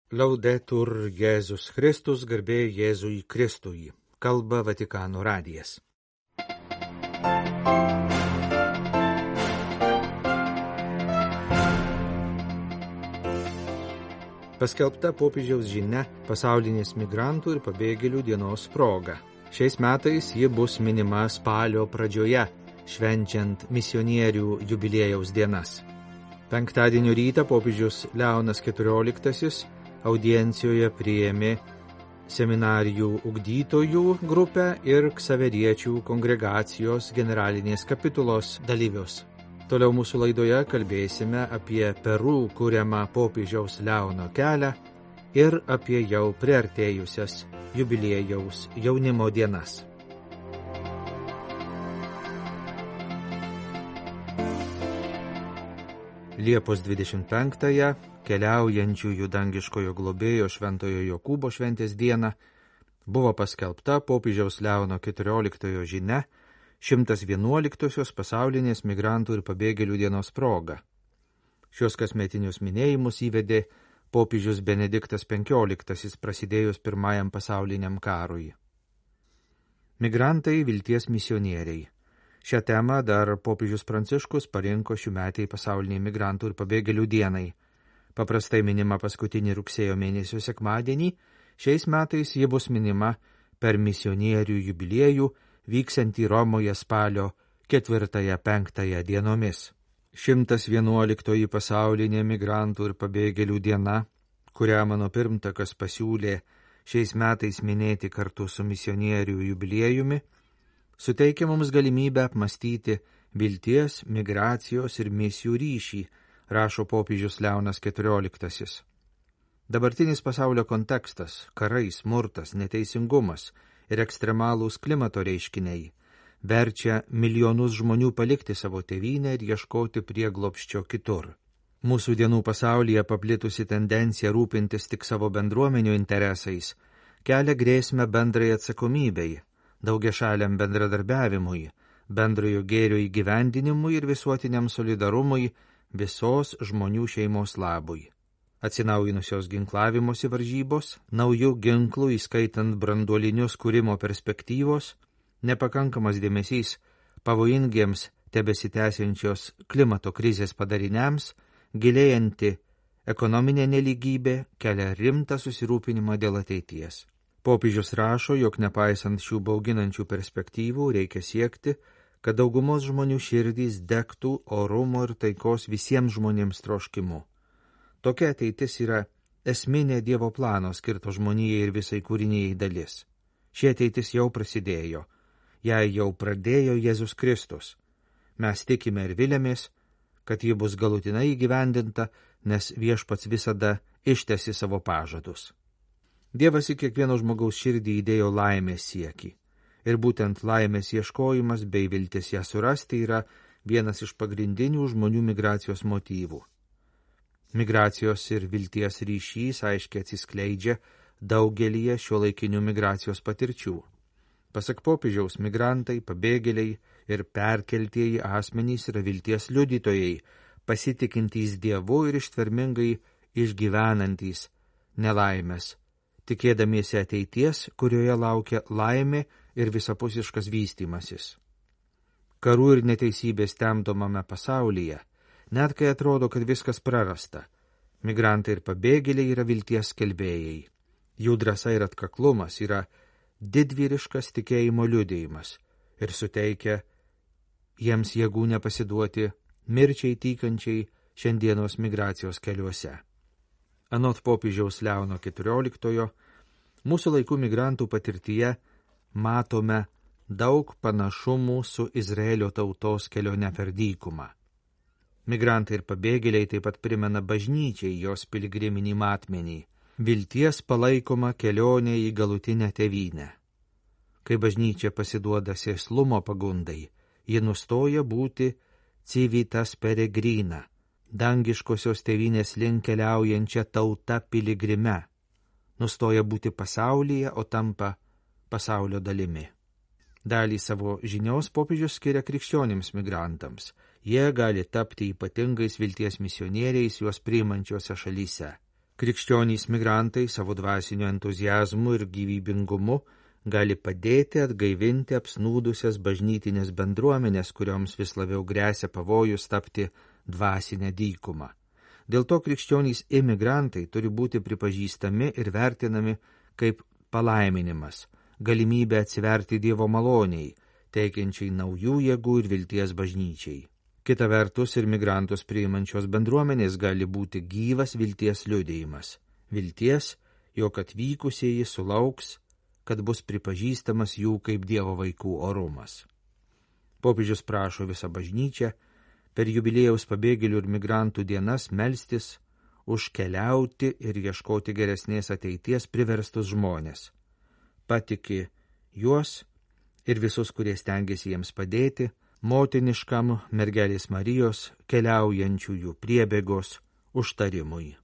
Laudetur Jėzus Kristus, garbė Jėzui Kristui. Kalba Vatikano radijas. Paskelbta popiežiaus žinia pasaulinės migrantų ir pabėgėlių dienos proga. Šiais metais ji bus minima spalio pradžioje, švenčiant misionierių jubiliejaus dienas. Penktadienio rytą popiežius Leonas XIV audiencijoje priėmė seminarijų ugdytojų grupę ir ksaveriečių kongregacijos generalinės kapitulos dalyvius. Toliau mūsų laidoje kalbėsime apie Peru kuriamą popiežiaus Leono kelią ir apie jau priartėjusias jubiliejaus jaunimo dienas. Liepos 25-ąją keliaujančiųjų dangiškojo globėjo Šventojo Jokūbo šventės dieną buvo paskelbta popiežiaus Leono XIV žinia 111-osios pasaulinės migrantų ir pabėgėlių dienos proga. Šios kasmetinius minėjimus įvedė popiežius Benediktas XV prasidėjus Pirmajam pasauliniam karui. Migrantai vilties misionieriai. Šią temą dar popiežius Pranciškus parinko šiųmetei pasauliniai migrantų ir pabėgėlių dienai. Paprastai minima paskutinį rugsėjo mėnesio sekmadienį, šiais metais ji bus minima per misionierių jubiliejų vyksiantį Romoje spalio 4-5 dienomis. 111 pasaulinė migrantų ir pabėgėlių diena, kurią mano pirmtakas pasiūlė šiais metais minėti kartu su misionierių jubiliejumi, suteikia mums galimybę apmastyti vilties, migracijos ir misijų ryšį, rašo popiežius Leonas XIV. Dabartinis pasaulio kontekstas – karai, smurtas, neteisingumas ir ekstremalūs klimato reiškiniai – verčia milijonus žmonių palikti savo tėvynę ir ieškoti prieglobsčio kitur. Mūsų dienų pasaulyje paplitusi tendencija rūpintis tik savo bendruomenių interesais kelia grėsmę bendrai atsakomybei, daugiašaliam bendradarbiavimui, bendrojo gėrio įgyvendinimui ir visuotiniam solidarumui visos žmonių šeimos labui. Atsinaujinusios ginklavimosi varžybos, naujų ginklų, įskaitant branduolinius kūrimo perspektyvos, nepakankamas dėmesys pavojingiems tebesitęsiančios klimato krizės padariniams, gilėjanti ekonominė nelygybė kelia rimtą susirūpinimą dėl ateities. Popiežius rašo, jog nepaisant šių bauginančių perspektyvų reikia siekti, kad daugumos žmonių širdys degtų orumo ir taikos visiems žmonėms troškimu. Tokia ateitis yra esminė Dievo plano skirto žmonijai ir visai kūrinijai dalis. Ši ateitis jau prasidėjo, ją jau pradėjo Jėzus Kristus. Mes tikime ir vilėmės, kad ji bus galutinai įgyvendinta, nes Viešpats visada ištesi savo pažadus. Dievas į kiekvieno žmogaus širdį įdėjo laimės siekį. Ir būtent laimės ieškojimas bei viltis ją surasti yra vienas iš pagrindinių žmonių migracijos motyvų. Migracijos ir vilties ryšys aiškiai atsiskleidžia daugelyje šiuolaikinių migracijos patirčių. Pasak popiežiaus, migrantai, pabėgėliai ir perkeltieji asmenys yra vilties liudytojai, pasitikintys Dievu ir ištvermingai išgyvenantys nelaimės, tikėdamiesi ateities, kurioje laukia laimė ir visapusiškas vystymasis. Karų ir neteisybės temdomame pasaulyje, net kai atrodo, kad viskas prarasta, migrantai ir pabėgėliai yra vilties skelbėjai. Jų drąsa ir atkaklumas yra didvyriškas tikėjimo liudijimas ir suteikia jiems jėgų nepasiduoti mirčiai tykančiai šiandienos migracijos keliuose. Anot popiežiaus Leono XIV, mūsų laikų migrantų patirtyje matome daug panašumų su Izraelio tautos kelione per dykumą. Migrantai ir pabėgėliai taip pat primena bažnyčiai jos piligriminį matmenį, vilties palaikoma kelionė į galutinę tėvynę. Kai bažnyčia pasiduoda sėslumo pagundai, ji nustoja būti civitas peregrina, dangiškosios tėvynės link keliaujančia tauta piligrime, nustoja būti pasaulyje, o tampa pasaulio dalimi. Dalį savo žinios popiežius skiria krikščionims migrantams. Jie gali tapti ypatingais vilties misionieriais juos priimančiose šalyse. Krikščionys migrantai savo dvasiniu entuzijazmu ir gyvybingumu gali padėti atgaivinti apsnūdusias bažnytinės bendruomenės, kurioms vis labiau grėsia pavojus tapti dvasinę dykumą. Dėl to krikščionys imigrantai turi būti pripažįstami ir vertinami kaip palaiminimas, galimybė atsiverti Dievo maloniai, teikiančiai naujų jėgų ir vilties bažnyčiai. Kita vertus, ir migrantus priimančios bendruomenės gali būti gyvas vilties liudijimas. Vilties, jog atvykusieji sulauks, kad bus pripažįstamas jų kaip Dievo vaikų orumas. Popiežius prašo visą bažnyčią per jubiliejaus pabėgėlių ir migrantų dienas melstis už keliauti ir ieškoti geresnės ateities priverstus žmonės. Patiki juos ir visus, kurie stengiasi jiems padėti, motiniškam mergelės Marijos keliaujančiųjų priebėgos užtarimui.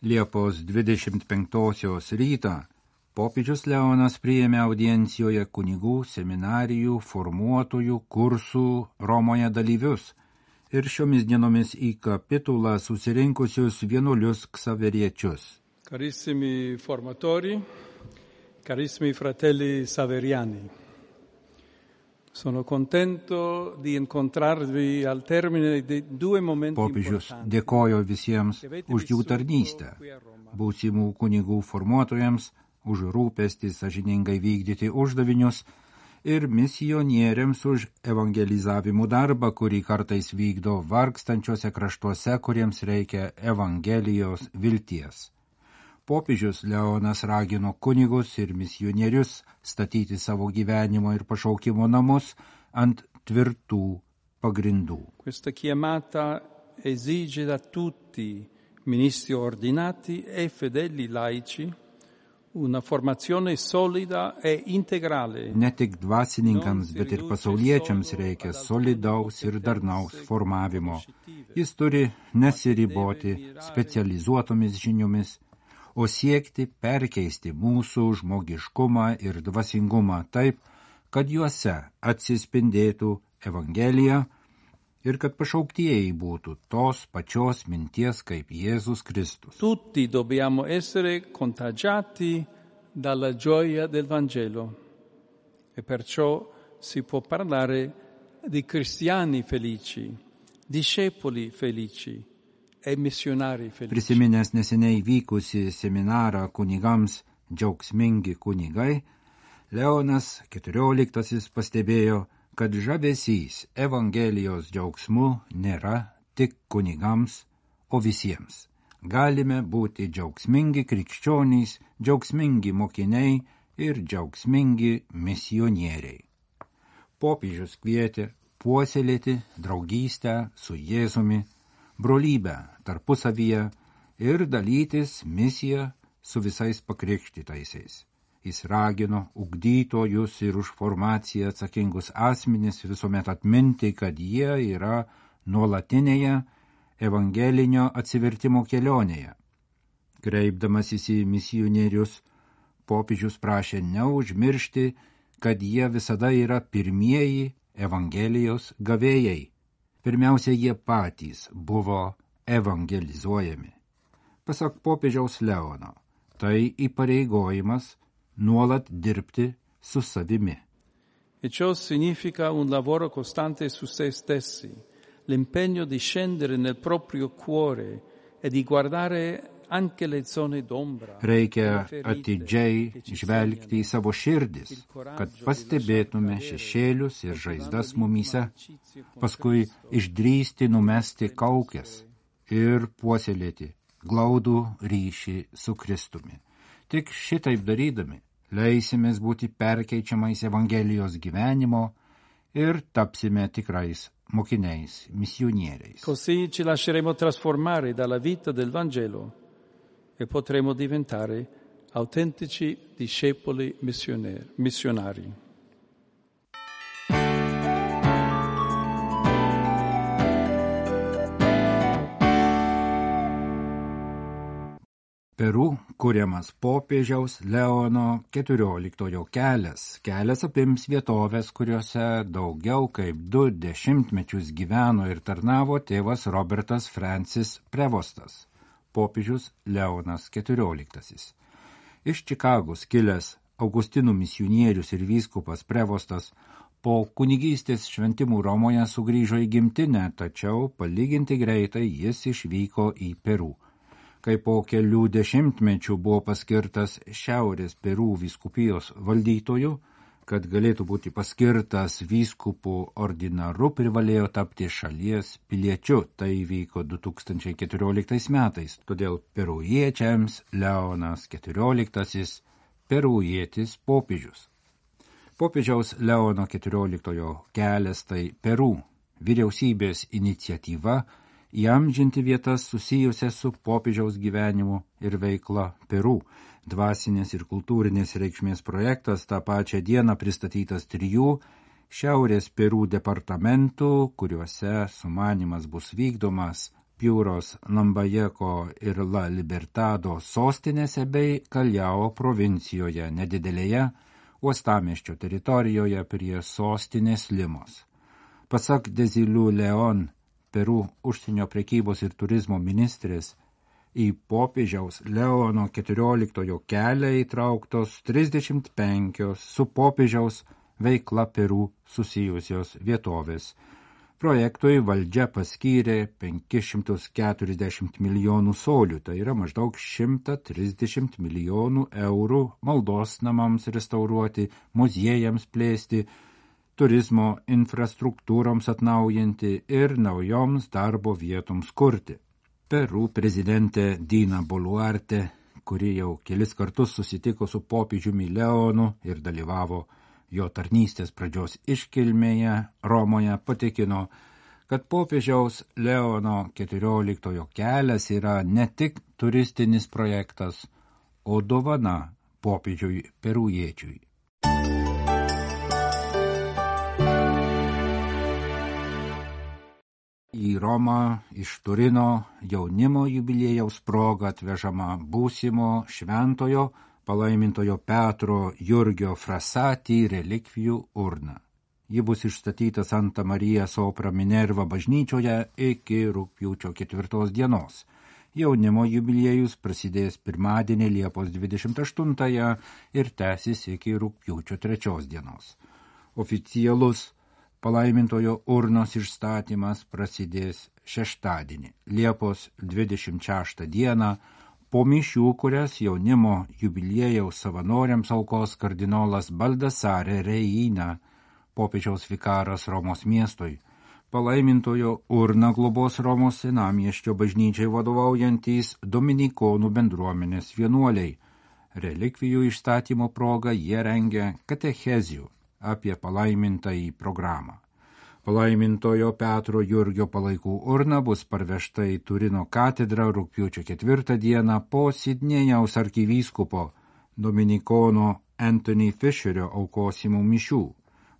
Liepos 25 rytą popiežius Leonas priėmė audiencijoje kunigų, seminarijų, formuotojų, kursų Romoje dalyvius ir šiomis dienomis į kapitulą susirinkusius vienuolius ksaveriečius. Carissimi formatori, carissimi fratelli saveriani, sono contento di incontrarvi al termine di 2 momenti Popiežius importanti. dėkojo visiems už jų tarnystę, būsimų kunigų formuotojams, už rūpestį sąžiningai vykdyti uždavinius ir misionieriams už evangelizavimų darbą, kurį kartais vykdo vargstančiuose kraštuose, kuriems reikia evangelijos vilties. Popiežius Leonas ragino kunigus ir misionierius statyti savo gyvenimo ir pašaukimo namus ant tvirtų pagrindų. Questa chiamata esige da tutti, ministri ordinati e fedeli laici, una formazione solida e integrale. Ne tik dvasininkams, bet ir pasauliečiams reikia solidaus ir darnaus formavimo. Jis turi nesiriboti specializuotomis žiniomis, o siekti perkeisti mūsų žmogiškumą ir dvasingumą taip, kad juose atsispindėtų Evangelija ir kad pašauktieji būtų tos pačios minties kaip Jėzus Kristus. Tutti dobbiamo essere contagiati dalla gioia del Vangelo e perciò si può parlare di cristiani felici, discepoli felici, Prisiminęs neseniai vykusi seminarą kunigams džiaugsmingi kunigai, Leonas XIV pastebėjo, kad žavesys Evangelijos džiaugsmu nėra tik kunigams, o visiems. Galime būti džiaugsmingi krikščionys, džiaugsmingi mokiniai ir džiaugsmingi misionieriai. Popiežius kvietė puoselėti draugystę su Jėzumi, brolybę tarpusavyje ir dalytis misiją su visais pakrikštytaisiais. Jis ragino ugdytojus ir už formaciją atsakingus asmenis visuomet atminti, kad jie yra nuolatinėje evangelinio atsivertimo kelionėje. Kreipdamasis į misionierius, popiežius prašė neužmiršti, kad jie visada yra pirmieji Evangelijos gavėjai. Pirmiausia, jie patys buvo evangelizuojami. Pasak popiežiaus Leono, tai įpareigojimas nuolat dirbti su savimi. E ciò significa un lavoro costante su se stessi, l'impegno di scendere nel proprio cuore e di guardare anche le zone d'ombra. Reikia atidžiai žvelgti į savo širdis, kad pastebėtume šešėlius ir žaizdas mumyse, paskui išdrįsti numesti kaukes ir puoselėti glaudų ryšį su Kristumi. Tik šitaip darydami leisimės būti perkeičiamais Evangelijos gyvenimo ir tapsime tikrais mokiniais, misionieriais. Così ci lasceremo trasformare dalla vita del Vangelo e potremo diventare autentici discepoli missionari. Peru kuriamas popiežiaus Leono XIV kelias. Kelias apims vietovės, kuriuose daugiau kaip 2 dešimtmečius gyveno ir tarnavo tėvas Robertas Francis Prevostas, popiežius Leonas XIV. Iš Čikagos kilęs Augustinų misionierius ir vyskupas Prevostas po kunigystės šventimų Romoje sugrįžo į gimtinę, tačiau palyginti greitai jis išvyko į Peru. Kai po kelių dešimtmečių buvo paskirtas Šiaurės Peru vyskupijos valdytoju, kad galėtų būti paskirtas vyskupų ordinaru, privalėjo tapti šalies piliečiu. Tai vyko 2014 metais, todėl perujiečiams Leonas XIV perujietis popiežius. Popiežiaus Leono XIV kelias tai Peru vyriausybės iniciatyva įamžinti vietas susijusias su popiežiaus gyvenimu ir veikla Peru. Dvasinės ir kultūrinės reikšmės projektas tą pačią dieną pristatytas 3 Šiaurės Peru departamentų, kuriuose sumanymas bus vykdomas Piūros, Lambajeco ir La Libertado sostinėse bei Kaljao provincijoje, nedidelėje uostamiesčio teritorijoje prie sostinės Limos. Pasak Dezilių Leon, Peru užsienio prekybos ir turizmo ministrės, į popiežiaus Leono XIV kelią įtrauktos 35 su popiežiaus veikla Peru susijusios vietovės. Projektui valdžia paskyrė 540 milijonų solių, tai yra maždaug 130 milijonų eurų maldos namams restauruoti, muziejams plėsti, turizmo infrastruktūroms atnaujinti ir naujoms darbo vietoms kurti. Peru prezidentė Dina Boluarte, kuri jau kelis kartus susitiko su popiežiumi Leonu ir dalyvavo jo tarnystės pradžios iškilmėje Romoje, patikino, kad popiežiaus Leono XIV kelias yra ne tik turistinis projektas, o dovana popiežiui perujiečiui. Į Romą iš Turino jaunimo jubiliejaus proga atvežama būsimo šventojo palaimintojo Petro Jurgio Frassati relikvijų urna. Ji bus išstatyta Santa Marija Sopra Minerva bažnyčioje iki rugpjūčio 4 dienos. Jaunimo jubiliejus prasidės pirmadienį Liepos 28 ir tęsis iki rugpjūčio 3 dienos. Oficialus palaimintojo urnos išstatymas prasidės šeštadienį, Liepos 26 dieną, po mišių, kurias jaunimo jubiliejaus savanoriams aukos kardinolas Baldassare Reina, popiežiaus vikaras Romos miestui. Palaimintojo urną globos Romos senamiesčio bažnyčiai vadovaujantys dominikonų bendruomenės vienuoliai. Relikvijų išstatymo proga jie rengia katechezijų apie palaimintąjį programą. Palaimintojo Petro Jurgio palaikų urna bus parvežta į Turino katedrą rugpjūčio 4 dieną po Sidnėjaus arkivyskupo dominikono Anthony Fisherio aukosimų mišių.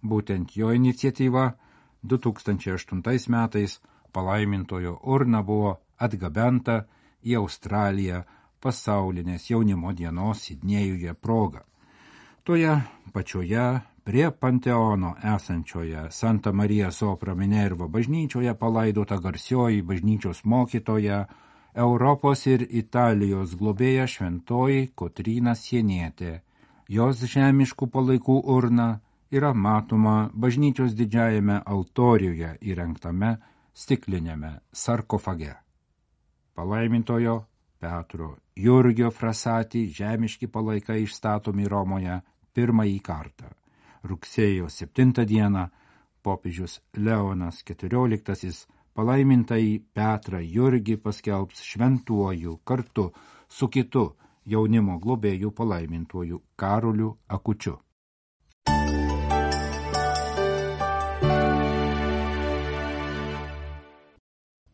Būtent jo iniciatyva 2008 metais palaimintojo urna buvo atgabenta į Australiją pasaulinės jaunimo dienos Sidnėjuje proga. Toje pačioje prie Panteono esančioje Santa Marija Sopra Minerva bažnyčioje palaidota garsioji bažnyčios mokytoja, Europos ir Italijos globėja šventoji Kotryna Sienietė. Jos žemiškų palaikų urna yra matoma bažnyčios didžiajame altoriuje įrengtame stiklinėme sarkofage. Palaimintojo Petro Jurgio Frassati žemiški palaikai išstatomi Romoje pirmąjį kartą. Rugsėjo 7 dieną popiežius Leonas XIV palaimintąjį Petrą Jurgį paskelbs šventuoju kartu su kitu jaunimo globėjų palaimintuoju Karoliu Akučiu.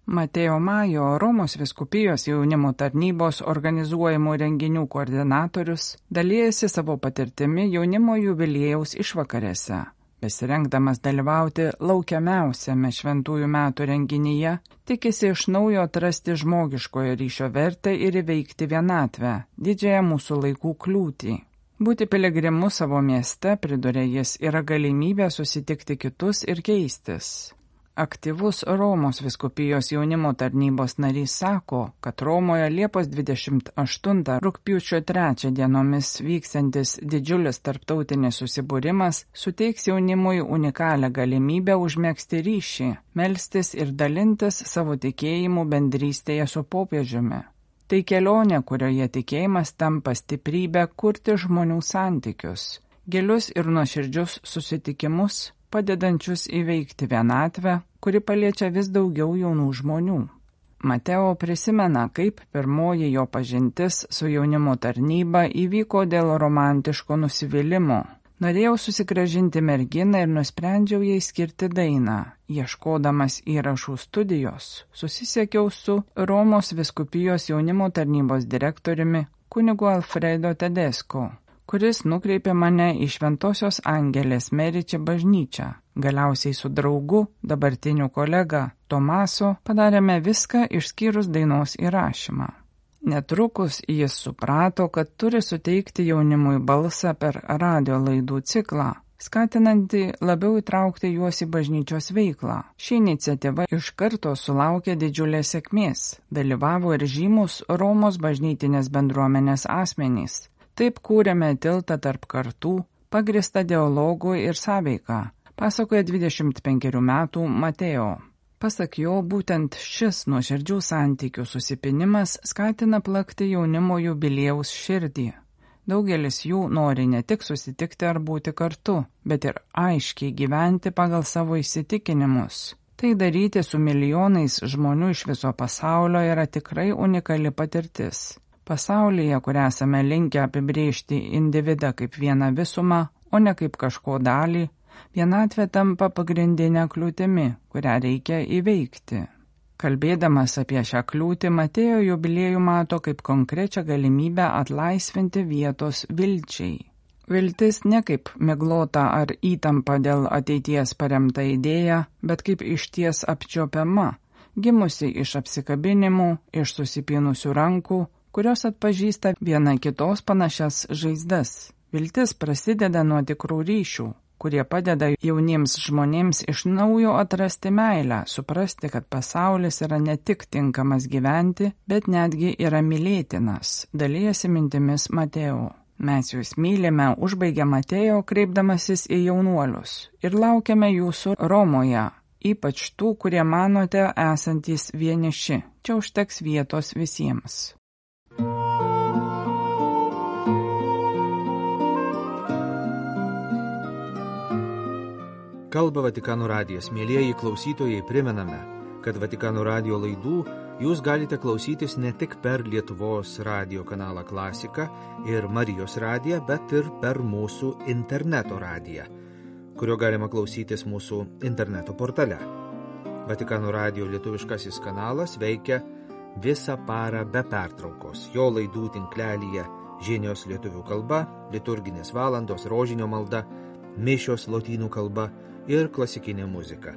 Mateo Majo, Romos vyskupijos jaunimo tarnybos organizuojamų renginių koordinatorius, dalijasi savo patirtimi jaunimo jubiliejaus išvakarėse. besirengdamas dalyvauti laukiamiausiame šventųjų metų renginyje, tikisi iš naujo atrasti žmogiškojo ryšio vertę ir įveikti vienatvę, didžiąją mūsų laikų kliūtį. Būti piligrimu savo mieste, priduria jis, yra galimybė susitikti kitus ir keistis. Aktyvus Romos vyskupijos jaunimo tarnybos narys sako, kad Romoje Liepos 28 rugpjūčio 3 dienomis vyksiantis didžiulis tarptautinis susibūrimas suteiks jaunimui unikalią galimybę užmegzti ryšį, melstis ir dalintis savo tikėjimu bendrystėje su popiežiumi. Tai kelionė, kurioje tikėjimas tampa stiprybę kurti žmonių santykius, gilius ir nuoširdžius susitikimus, padedančius įveikti vienatvę, kuri paliečia vis daugiau jaunų žmonių. Mateo prisimena, kaip pirmoji jo pažintis su jaunimo tarnyba įvyko dėl romantiško nusivylimo. Norėjau susigrąžinti merginą ir nusprendžiau jai skirti dainą. Ieškodamas įrašų studijos, susisiekiau su Romos vyskupijos jaunimo tarnybos direktoriumi kunigu Alfredo Tedesco, kuris nukreipė mane į Šventosios Angelės Meriči bažnyčią. Galiausiai su draugu, dabartiniu kolega Tomaso, padarėme viską išskyrus dainos įrašymą. Netrukus jis suprato, kad turi suteikti jaunimui balsą per radio laidų ciklą, skatinantį labiau įtraukti juos į bažnyčios veiklą. Ši iniciatyva iš karto sulaukė didžiulės sėkmės, dalyvavo ir žymus Romos bažnytinės bendruomenės asmenys. Taip kūrėme tiltą tarp kartų, pagrįstą dialogų ir sąveiką, pasakoja 25 metų Mateo. Pasak jo, būtent šis nuoširdžių santykių susipinimas skatina plakti jaunimo jubiliejaus širdį. Daugelis jų nori ne tik susitikti ar būti kartu, bet ir aiškiai gyventi pagal savo įsitikinimus. Tai daryti su milijonais žmonių iš viso pasaulio yra tikrai unikali patirtis. Pasaulyje, kur esame linkę apibrėžti individą kaip vieną visumą, o ne kaip kažko dalį, vienatvė tampa pagrindinė kliūtimi, kurią reikia įveikti. Kalbėdamas apie šią kliūtį, Matėjo jubiliejų mato kaip konkrečią galimybę atlaisvinti vietos vilčiai. Viltis ne kaip miglota ar įtampa dėl ateities paremta idėja, bet kaip išties apčiuopiama, gimusi iš apsikabinimų, iš susipynusių rankų, kurios atpažįsta viena kitos panašias žaizdas. Viltis prasideda nuo tikrų ryšių, kurie padeda jauniems žmonėms iš naujo atrasti meilę, suprasti, kad pasaulis yra ne tik tinkamas gyventi, bet netgi yra mylėtinas, dalijasi mintimis Mateo. Mes jūs mylime, užbaigia Mateo, kreipdamasis į jaunuolius, ir laukiame jūsų Romoje, ypač tų, kurie manote esantys vieniši. Čia užteks vietos visiems. Kalba Vatikano radijas. Mielieji klausytojai, primename, kad Vatikano radijo laidų jūs galite klausytis ne tik per Lietuvos radijo kanalą Klasika ir Marijos radiją, bet ir per mūsų interneto radiją, kurio galima klausytis mūsų interneto portale. Vatikano radijo lietuviškasis kanalas veikia visą parą be pertraukos. Jo laidų tinklelyje žinios lietuvių kalba, liturginės valandos, rožinio malda, mišios lotynų kalba ir klasikinė muzika.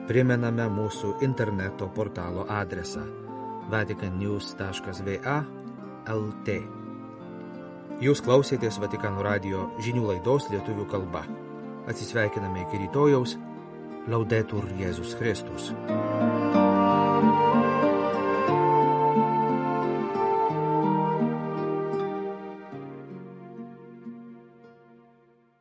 Primename mūsų interneto portalo adresą vaticannews.va/lt. Jūs klausėtės Vatikano radijo žinių laidos lietuvių kalba. Atsisveikiname iki rytojaus. Laudetur Jėzus Kristus.